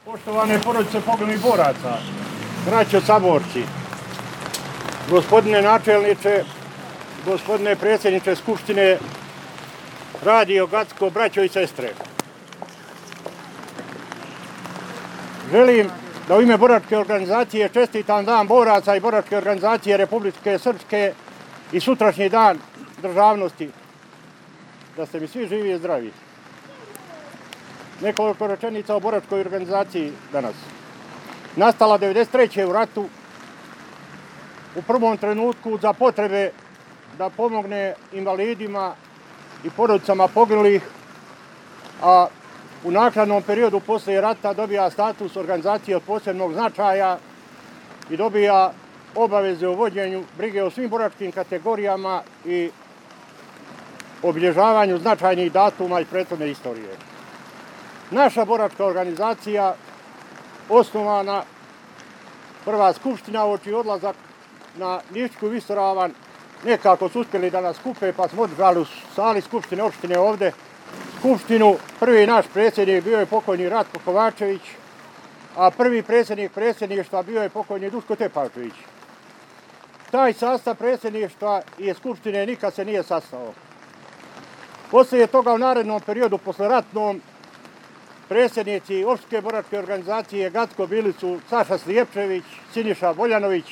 Poštovane porodice poginulih boraca, braćo saborci, gospodine načelniče, gospodine predsjedniče Skupštine, Radio Gacko, braćo i sestre. Želim da u ime boračke organizacije čestitam Dan boraca i boračke organizacije Republike Srpske i sutrašnji dan državnosti. Da ste mi svi živi i zdravi. Nekoliko rečenica o boračkoj organizaciji danas. Nastala 1993. u ratu, u prvom trenutku za potrebe da pomogne invalidima i porodicama poginulih, a u naknadnom periodu posle rata dobija status organizacije od posebnog značaja i dobija obaveze o vođenju brige o svim boračkim kategorijama i obilježavanju značajnih datuma iz prethodne istorije. Naša boračka organizacija, osnovana prva skupština uoči odlazak na Nišćku visoravan, nekako su uspjeli da nas skupe, pa smo održali u sali skupštine opštine ovde skupštinu. Prvi naš predsjednik bio je pokojni Ratko Kovačević, a prvi predsjednik predsjedništva bio je pokojni Duško Tepačević. Taj sastav predsjedništva i skupštine nikad se nije sastao. Poslije toga u narednom periodu, posleratnom, predsjednici opštine boračke organizacije Gacko bili su Saša Slijepčević, Siniša Boljanović,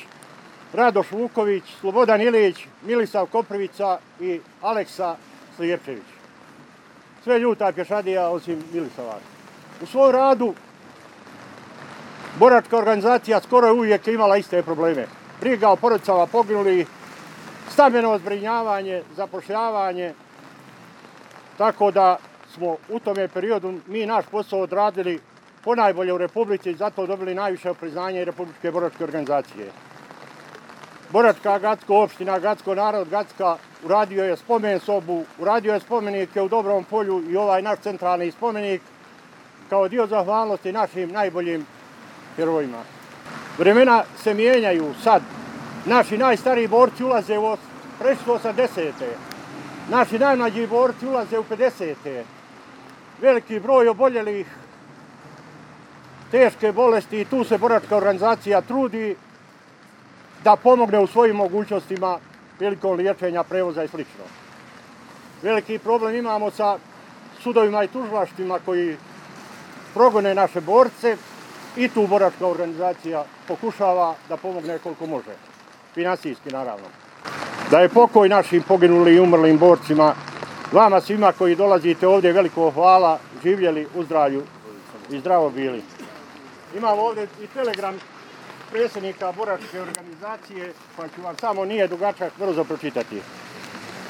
Radoš Vuković, Slobodan Ilić, Milisav Koprivica i Aleksa Slijepčević. Sve ljuta pješadija osim Milisava. U svom radu boračka organizacija skoro je uvijek imala iste probleme. Briga o porodicama poginulih, stambeno zbrinjavanje, zapošljavanje, tako da smo u tome periodu mi naš posao odradili ponajbolje u Republici i zato dobili najviše priznanje Republičke boračke organizacije. Boračka Gacko, opština Gacko, narod Gacka uradio je spomen sobu, uradio je spomenike u Dobrom polju i ovaj naš centralni spomenik kao dio zahvalnosti našim najboljim herojima. Vremena se mijenjaju sad. Naši najstariji borci ulaze u prešli 80. Naši najmlađi borci ulaze u 50. Veliki broj oboljelih, teške bolesti i tu se boračka organizacija trudi da pomogne u svojim mogućnostima prilikom liječenja, prevoza i sl. Veliki problem imamo sa sudovima i tužilaštvima koji progone naše borce i tu boračka organizacija pokušava da pomogne koliko može, finansijski naravno. Da je pokoj našim poginulim i umrlim borcima, vama svima koji dolazite ovdje veliko hvala, živjeli u zdravlju i zdravo bili. Imamo ovdje i telegram predsjednika boračke organizacije, pa ću vam samo nije dugačak brzo pročitati.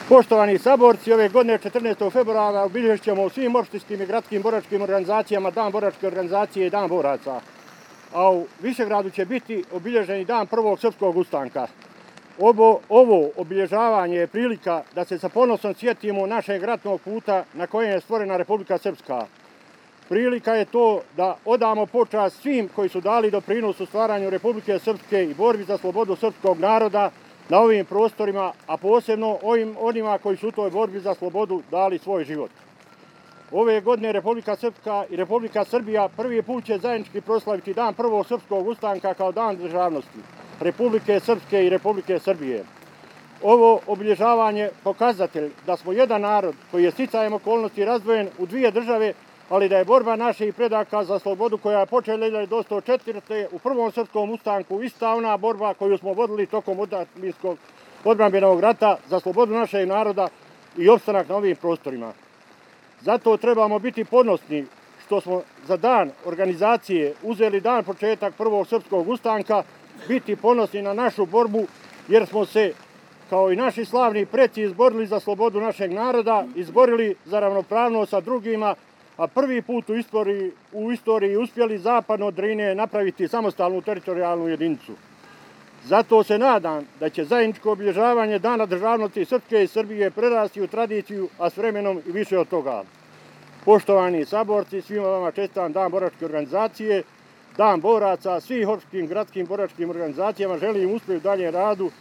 Poštovani saborci, ove godine 14. februara obilježit ćemo u svim opštinskim i gradskim boračkim organizacijama Dan boračke organizacije i Dan boraca. A u Višegradu će biti obilježeni Dan prvog srpskog ustanka. Ovo obilježavanje je prilika da se sa ponosom sjetimo našeg ratnog puta na kojem je stvorena Republika Srpska. Prilika je to da odamo počast svim koji su dali doprinos u stvaranju Republike Srpske i borbi za slobodu srpskog naroda na ovim prostorima, a posebno onima koji su u toj borbi za slobodu dali svoj život. Ove godine Republika Srpska i Republika Srbija prvi put će zajednički proslaviti Dan prvog srpskog ustanka kao Dan državnosti Republike Srpske i Republike Srbije. Ovo obilježavanje pokazatelj da smo jedan narod koji je sticajem okolnosti razdvojen u dvije države, ali da je borba naših predaka za slobodu koja je počela 1904. u prvom srpskom ustanku ista ona borba koju smo vodili tokom otadžbinskog odbrambenog rata za slobodu našeg naroda i opstanak na ovim prostorima. Zato trebamo biti ponosni što smo za dan organizacije uzeli dan početak prvog srpskog ustanka, biti ponosni na našu borbu jer smo se, kao i naši slavni preci, izborili za slobodu našeg naroda, izborili za ravnopravnost sa drugima, a prvi put u istoriji uspjeli zapadno od Drine napraviti samostalnu teritorijalnu jedinicu. Zato se nadam da će zajedničko obilježavanje Dana državnosti Srpske i Srbije prerasti u tradiciju, a s vremenom i više od toga. Poštovani saborci, svima vama čestitam Dan boračke organizacije, Dan boraca, svih opštinskim gradskim boračkim organizacijama želim uspjeh u daljem radu